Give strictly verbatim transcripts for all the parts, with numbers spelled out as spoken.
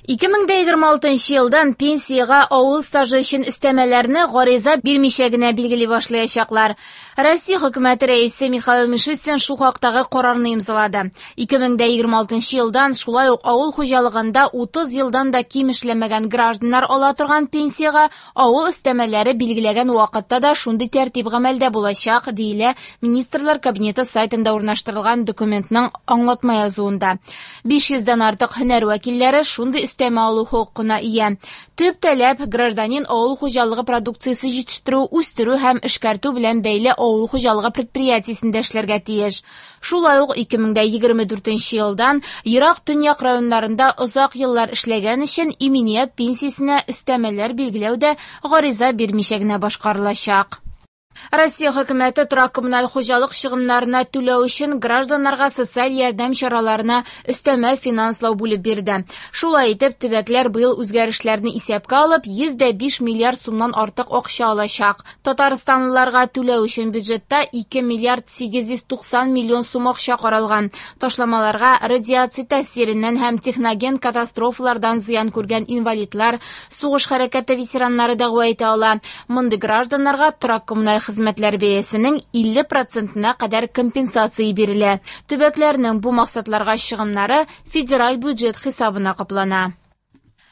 Ике мең дә егерме алтынчы елдан пенсиягә авыл стажы өчен өстәмәләрне гариза бирмичә генә билгели башлаячаклар. Россия хөкүмәте рәисе Михаил Мишустин шул хактагы карарны имзалады. Ике мең дә егерме алтынчы елдан шулай ук авыл хуҗалыгында утыз елдан да ким эшләмәгән гражданнар ала торган пенсиягә авыл өстәмәләре билгеләгән вакытта да шундый тәртип гамәлдә булачак, диелә Министрлар Кабинеты сайтында урнаштырылган документның аңлатма язуында. Биш йөздән артык һөнәр вәкилләре шундый өстәмә алу хокукына ия. Төп таләп гражданин авыл хуҗалыгы продукциясе җитештерү, үстерү һәм эшкәртү белән бәйле авыл хуҗалыгы предприятиесендә эшләргә тиеш. Шулай ук ике мең дә егерме дүртенче елдан ерак төньяк районнарында озак еллар эшләгән өчен иминият пенсиясенә өстәмәләр билгеләү дә гариза бирмичә генә башкарылачак. Россия хөкүмәте торак коммуналь хуҗалык чыгымнарына түләү өчен гражданнарга социаль ярдәм чараларына өстәмә финанслау бүлеп бирде. Шулай итеп, төбәкләр быел үзгәрешләрне исәпкә алып, йөз дә биш миллиард сумнан артык акча алачак. Татарстанлыларга түләү өчен бюджетта ике миллиард сигез йөз туксан миллион сум акча каралган. Ташламаларга радиация тәэсиреннән һәм техноген катастрофалардан зыян күргән инвалидлар, сугыш хәрәкәте ветераннары дәгъва итә ала. Мондый гражданнарга торак коммуналь хезмәтләр бәясенең илле процентына кадәр компенсация бирелә. Төбәкләрнең бу максатларга чыгымнары федераль бюджет хисабына каплана.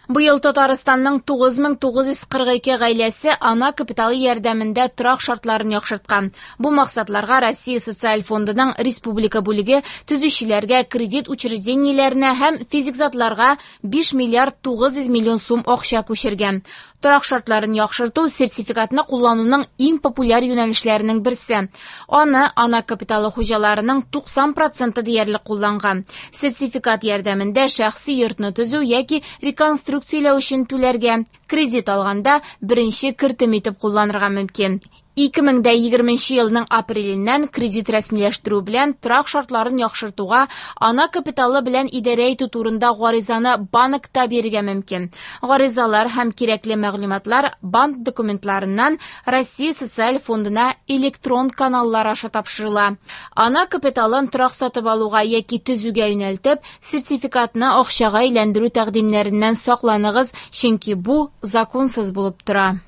Быел Татарстанның тугыз мең тугыз йөз кырык ике гаиләсе ана капиталы ярдәмендә торак шартларын яхшырткан. Бу максатларга Россия Социаль фондының республика бүлеге төзүчеләргә, кредит учреждениеләренә һәм физик затларга биш миллиард тугыз йөз миллион сум акча күчергән. Торак шартларын яхшырту сертификатны куллануның иң популяр юнәлешләренең берсе. Аны ана капиталы хуҗаларының туксан проценты диярлек кулланган. Сертификат ярдәмендә шәхси йортны төзү яки реконструкцияләү өчен түләргә, кредит алганда беренче кертем итеп кулланырга мөмкин. Ике мең дә егерменче елның апреленнән кредит рәсмиләштерү белән торак шартларын яхшыртуга ана капиталы белән идарә итү турында гаризаны банкта бирергә мөмкин. Гаризалар һәм кирәкле мәгълүматлар банк документларыннан Россия Социаль фондына электрон каналлар аша тапшырыла. Ана капиталын торак сатып алуга яки төзүгә юнәлтеп, сертификатны акчага әйләндерү тәкъдимнәреннән сакланыгыз, чөнки бу законсыз булып тора.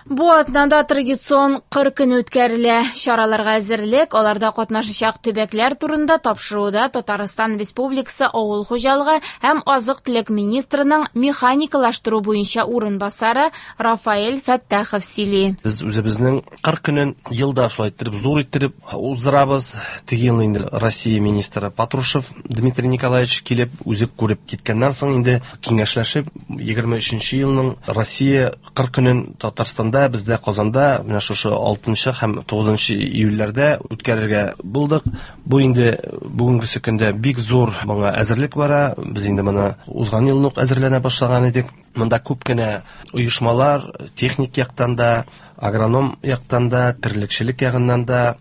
Бу атнада традицион кыр көне үткәрелә. Чараларга әзерлек, аларда катнашачак төбәкләр турында тапшыруда Татарстан Республикасы Авыл хуҗалыгы һәм азык-төлек министрының механикалаштыру буенча урынбасары Рафаэль Фәттахов сөйли. Без үзебезнең кыр көнен елда шулай иттереп, зур иттереп уздырабыз. Теге елны инде Россия министры Патрушев Дмитрий Николаевич килеп, үзе күреп киткәннән соң инде киңәшләшеп, егерме өченче елның Россия кыр көнен Татарстанда, бездә Казанда менә шушы алтынчы һәм тугызынчы июльләрдә үткәрергә булдык. Бу инде бүгенгесе көндә бик зур моңа әзерлек бара. Без инде моны узган елны ук әзерләнә башлаган идек. Монда күп кенә оешмалар техник яктан да, агроном яктан да, терлекчелек ягыннан да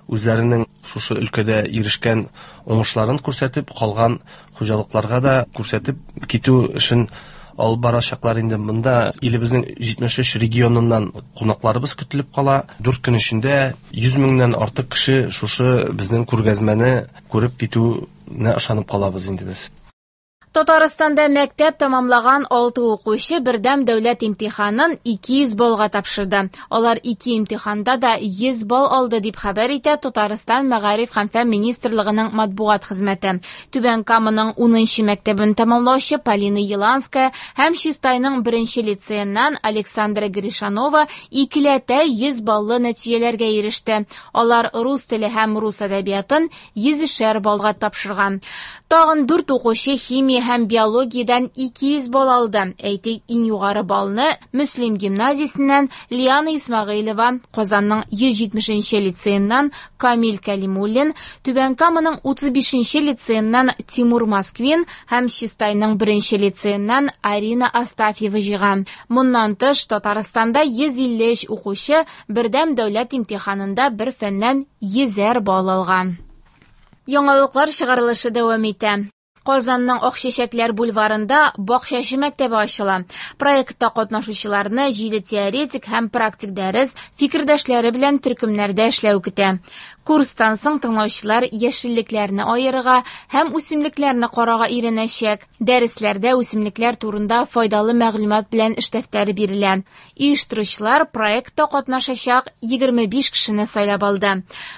үзләренең шушы өлкәдә ирешкән уңышларын күрсәтеп, калган хуҗалыкларга да күрсәтеп китү эшен алып барачаклар инде. Монда илебезнең җитмеш өч регионыннан кунакларыбыз көтелеп кала. Дүрт көн эчендә йөз меңнән артык кеше шушы безнең күргәзмәне күреп китүенә ышанып калабыз инде без. Татарстанда мәктәп тамамлаган алты укучы бердәм дәүләт имтиханын ике йөз баллга тапшырды. Алар ике имтиханда да йөз балл алды дип хәбәр итә Татарстан Мәгариф һәм фән министрлыгының матбугат хезмәте. Түбән Каманың унынчы мәктәбен тамамлаучы Полина Еланская һәм Чистайның беренче лицееннан Александра Гришанова икеләтә йөз баллы нәтиҗәләргә иреште. Алар рус теле һәм рус әдәбиятын йөзешәр баллга тапшырган. Тагын дүрт укучы химия һәм биологиядән ике йөз балл алды. Әйтик, иң югары баллны Мөслим гимназиясеннән Лиана Исмәгыйлева, Казанның йөз җитмешенче лицееннан Камил Кәлимуллин, Түбән Каманың утыз бишенче лицееннан Тимур Москвин һәм Чистайның беренче лицееннан Арина Астафьева җыйган. Моннан тыш, Татарстанда йөз илле өч укучы бердәм дәүләт имтиханында бер фәннән йөзәр балл алган. Яңалыклар чыгарылышы дәвам итә. Казанның Акчәчәкләр бульварында Бакчачы мәктәбе ачыла. Проектта катнашучыларны җиде теоретик һәм практик дәрес, фикердәшләре белән төркемнәрдә эшләү көтә. Курстан соң тыңлаучылар яшеллекләрне аерырга һәм үсемлекләрне карарга өйрәнәчәк. Дәресләрдә үсемлекләр турында файдалы мәгълүмат белән эш дәфтәре бирелә. Оештыручылар проектта катнашачак егерме биш кешене сайлап алды.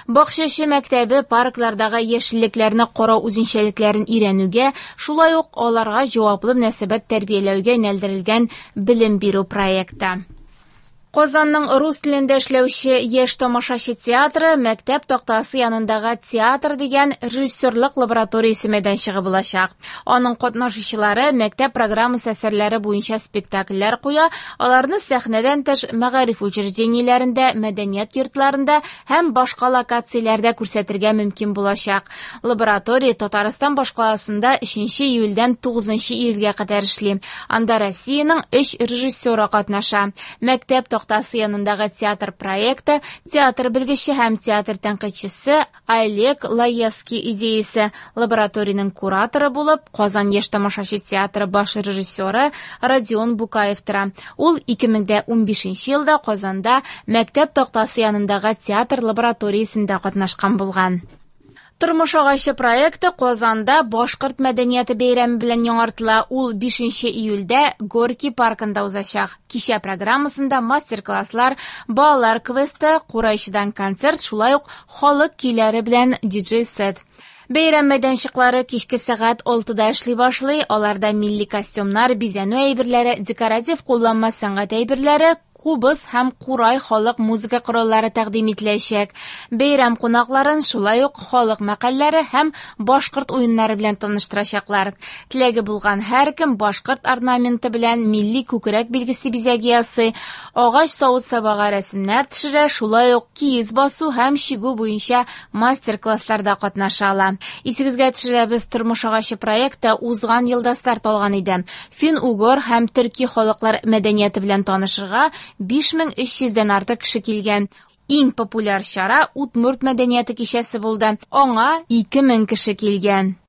Бакчачы мәктәбе парклардагы яшеллекләрне карау үзенчәлекләрен өйрәнүгә, шулай ук аларга җаваплы мөнәсәбәт тәрбияләүгә юнәлдерелгән белем бирү проекты. Казанның рус телендә эшләүче Яшь тамашачы театры мәктәп тактасы янындагы театр дигән режиссерлык лабораториясе мәйданчыгы булачак. Аның катнашучылары мәктәп программасы әсәрләре буенча спектакльләр куя, аларны сәхнәдән тыш мәгариф учреждениеләрендә, мәдәният йортларында һәм башка локацияләрдә күрсәтергә мөмкин булачак. Лаборатория Татарстан башкаласында өченче июльдән тугызынчы июльгә кадәр эшли. Анда Россиянең өч режиссеры катнаша. Мәктәп тактасы янындагы театр проекты, театр белгече һәм театр тәнкыйтьчесе Олег Лаевский идеясе. Лабораториянең кураторы булып Казан яшь тамашачы театры баш режиссеры Родион Букаев тора. Ул ике мең дә унбишенче елда Казанда мәктәп тактасы янындагы театр лабораториясендә катнашкан булган. Тормыш агачы проекты Казанда башкорт мәдәнияте бәйрәме белән яңартыла. Ул бишенче июльдә Горький паркында узачак. Кичә программасында мастер-класслар, балалар квесты, курайчыдан концерт, шулай ук халык көйләре белән диджей-сет. Бәйрәм мәйданчыклары кичке сәгать алтыда эшли башлый. Аларда милли костюмнар, бизәнү әйберләре, декоратив кулланма сәнгать әйберләре, кубыз һәм курай халык музыка кораллары тәкъдим ителәчәк. Бәйрәм кунакларын шулай ук халык мәкальләре һәм башкорт уеннары белән таныштырачаклар. Теләге булган һәркем башкорт орнаменты белән милли күкрәк билгесе бизәге ясый, агач савыт-сабага рәсемнәр төшерә, шулай ук киез басу һәм чигү буенча мастер-классларда катнаша ала. Исегезгә төшерәбез, Тормыш агачы проекты узган елда старт алган иде. Фин-угор һәм төрки халыклар мәдәнияте белән танышырга биш мең өч йөздән артык кеше килгән. Иң популяр чара удмурт мәдәнияте кичәсе булды. Аңа ике мең кеше килгән.